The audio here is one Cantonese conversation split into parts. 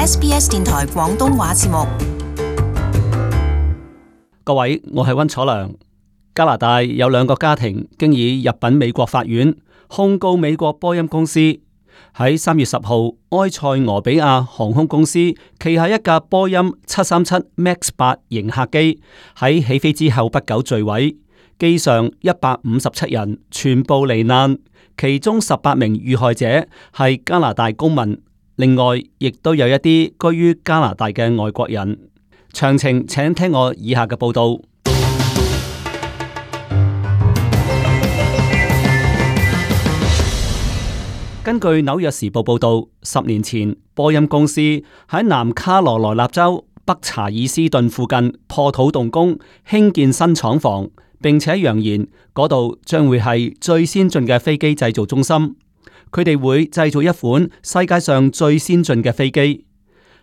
SBS 電台廣東話節目。各位，我係溫楚良。加拿大有2個家庭經已入稟美國法院控告美國波音公司。喺3月10號，埃塞俄比亞航空公司旗下一架波音737 MAX 8型客機喺起飛之後不久墜毀，機上157人全部罹難，其中18名遇害者係加拿大公民，另外亦都有一啲居於加拿大嘅外國人。詳情請聽我以下嘅報道。根據紐約時報報道，10年前波音公司喺南卡羅來納州北查爾斯頓附近破土動工興建新廠房，並且揚言嗰度將會係最先進嘅飛機製造中心。佢哋會製造一款世界上最先進嘅飛機。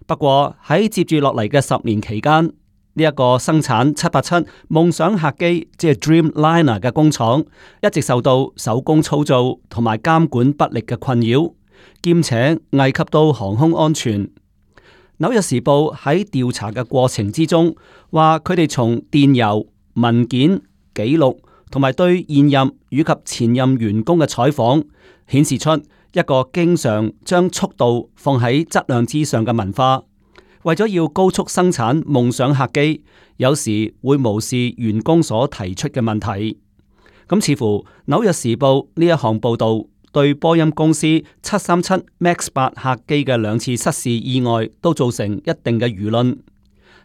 不過喺接住落嚟嘅10年期間，呢一個生產787夢想客機即係 Dreamliner 嘅工廠一直受到手工操作同埋監管不力嘅困擾，兼且危及到航空安全。紐約時報喺調查嘅過程之中話，佢哋從電郵、文件、記錄同埋對現任以及前任員工嘅採訪顯示出一個經常將速度放喺質量之上嘅文化。為咗要高速生產夢想客機，有時會無視員工所提出嘅問題。咁似乎紐約時報呢一項報道對波音公司737 MAX 8客機嘅2次失事意外都造成一定嘅輿論。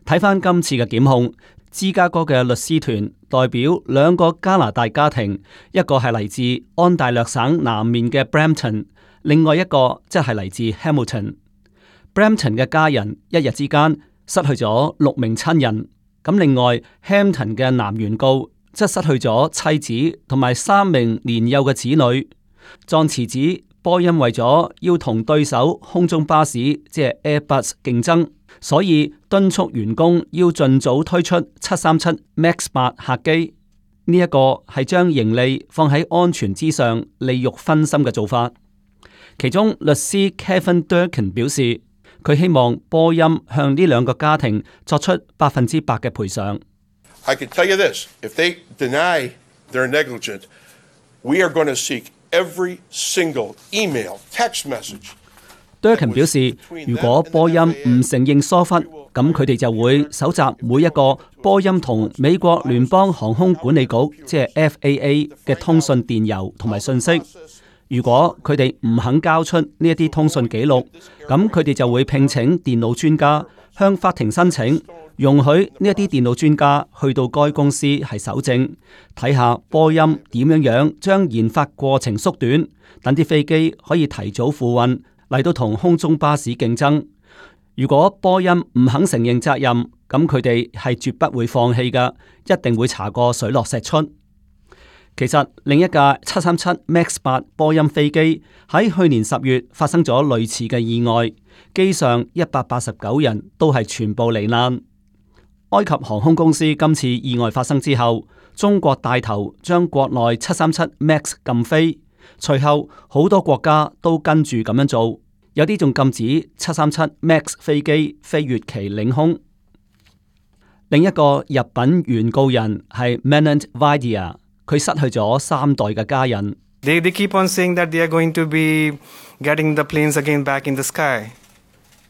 睇翻今次嘅檢控，芝加哥嘅律師團代表2個加拿大家庭，一個係嚟自安大略省南面嘅 Brampton， 另外一個即係嚟自 Hamilton。Brampton 嘅家人一日之間失去咗6名親人，咁另外 Hampton 嘅男原告則失去咗妻子同埋3名年幼嘅子女。狀詞指波音為咗要同對手空中巴士即係 Airbus 競爭，所以敦促員工要盡早推出737 MAX 8客機。呢一個係將盈利放喺安全之上，利欲熏心嘅做法。其中律師 Kevin Durkin 表示，佢希望波音向呢2個家庭作出100%嘅賠償。I can tell you this: if they deny they're negligent, we are going to seek every single email, text message. Durkin 表示，如果波音唔承認疏忽，咁佢哋就會搜集每一個波音同美國聯邦航空管理局即係 FAA 嘅通訊電郵同埋信息。如果佢哋唔肯交出呢一啲通訊記錄，咁佢哋就會聘請電腦專家向法庭申請，容許呢一啲電腦專家去到該公司係搜證，睇下波音點樣將研發過程縮短，等啲飛機可以提早付運嚟到同空中巴士競爭。如果波音唔肯承認責任，咁佢哋係絕不會放棄㗎，一定會查個水落石出。其實另一架737 MAX 8波音飛機喺去年10月發生咗類似嘅意外，機上189人都係全部罹難。埃及航空公司今次意外發生之後，中國帶頭將國內737 MAX 禁飛，隨後好多國家都跟住咁樣做，有啲仲禁止737 MAX 飛機飛越其領空。另一個入稟原告人係 Manant Vaidya。佢失去咗3代嘅家人。They keep on saying that they are going to be getting the planes again back in the sky.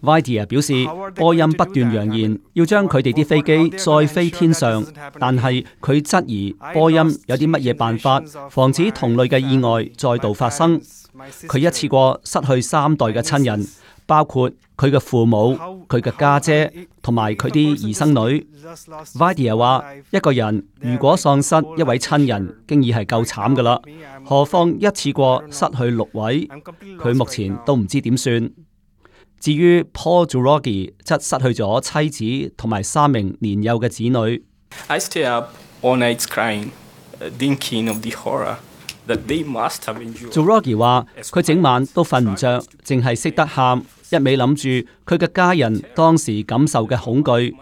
Vaidya 表示，波音不斷揚言要將佢哋啲飛機再飛天上，但係佢質疑波音有啲乜嘢辦法防止同類嘅意外再度發生。佢一次過失去3代嘅親人，包括佢嘅父母、佢嘅家姐同埋佢啲兒生女。Vaidya 話：一個人如果喪失一位親人，經已係夠慘噶啦，何況一次過失去6位，佢目前都唔知點算。至於 Paul Jurogi 則失去咗妻子同埋3名年幼嘅子女。I stay up all night crying, thinking of the horror that they must have endured. Jurogi 話：佢整晚都瞓唔着，淨係識得喊，一味諗住佢嘅家人當時感受嘅恐懼，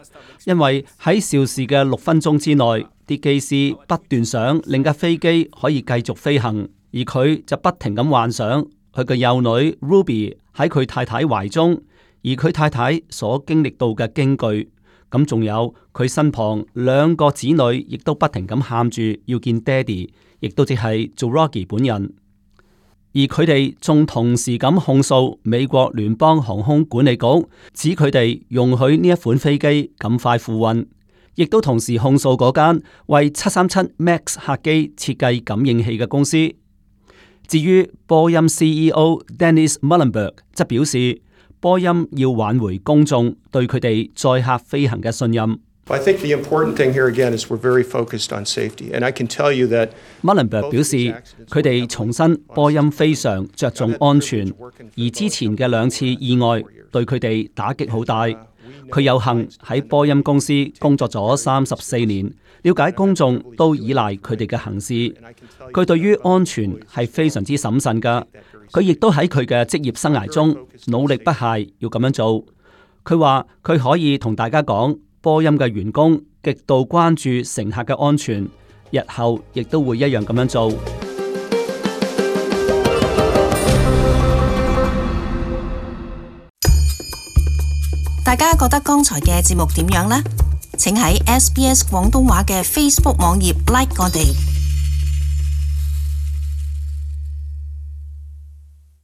因為喺肇事嘅6分鐘之內，啲機師不斷想令架飛機可以繼續飛行，而佢就不停咁幻想佢嘅幼女 Ruby 喺佢太太懷中，而佢太太所經歷到嘅驚懼，咁仲有佢身旁2個子女，亦都不停咁喊住要見爹哋，亦都即係做 Rocky 本人。而佢哋仲同時咁控訴美國聯邦航空管理局，指佢哋容許呢一款飛機咁快付運，亦都同時控訴嗰間為737 MAX 客機設計感應器嘅公司。至於波音 CEO Dennis Muilenburg 則表示，波音要挽回公眾對佢哋載客飛行嘅信任。I think the important thing here again is we're very focused on safety, and I can tell you that Muilenburg 表示，佢哋重申波音非常着重安全，而之前嘅2次意外對佢哋打擊好大。佢有幸喺波音公司工作咗34年，了解公眾都依賴佢哋嘅行事。佢對於安全係非常之審慎㗎。佢亦都喺佢嘅職業生涯中努力不懈要咁樣做。佢話佢可以同大家講，波音嘅員工極度關注乘客嘅安全，日後亦都會一樣咁樣做。大家覺得剛才嘅節目點樣呢？請喺SBS 廣東話嘅 Facebook 網頁 like 我哋。